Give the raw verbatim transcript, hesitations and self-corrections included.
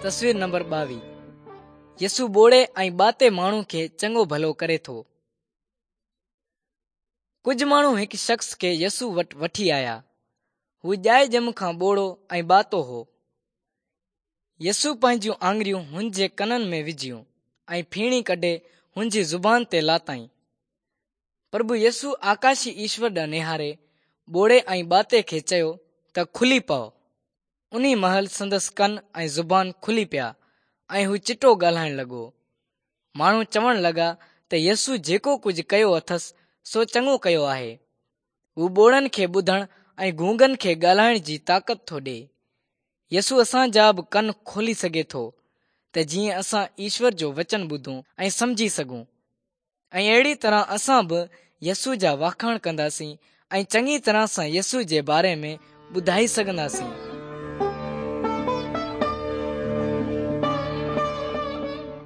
تصوير نمبر ٻاويهه. يسوع ٻوڙي ۽ ٻاتي ماڻهو کي چڱو ڀلو ڪري ٿو. ڪجهه ماڻهو هڪ شخص کي يسوع وٽ وٺي آيا. هو ڄائي ڄم کان ٻوڙو ۽ ٻاتو هو. يسوع پنهنجون آڱريون هن جي ڪنن ۾ وجهيون ۽ ڦيڻي ڪڍي هن جي زبان تي لاتائين. پرڀو يسوع آڪاشي ايشور ڏانهن نهاري ٻوڙي ۽ ٻاتي کي چيو ته کلي پئو. انهي مهل سندس ڪن ۽ زبان کلي پيا ۽ هو چٽو ڳالهائڻ لڳو. ماڻهو چوڻ لڳا ته يسوع جيڪو ڪجهه ڪيو اٿس سو چڱو ڪيو آهي. هو ٻوڙن کي ٻڌڻ ۽ گونگن کي ڳالهائڻ جي طاقت ٿو ڏئي. يسوع اسان جا به ڪن کولي سگهي ٿو ته جيئن اسان ايشور جو وچن ٻڌون ۽ سمجهي سگهون ۽ اهڙي طرح اسان به يسوع جا واکاڻ ڪنداسين ۽ چڱي طرح سان يسوع جي باري ۾ ٻڌائي سگهنداسين.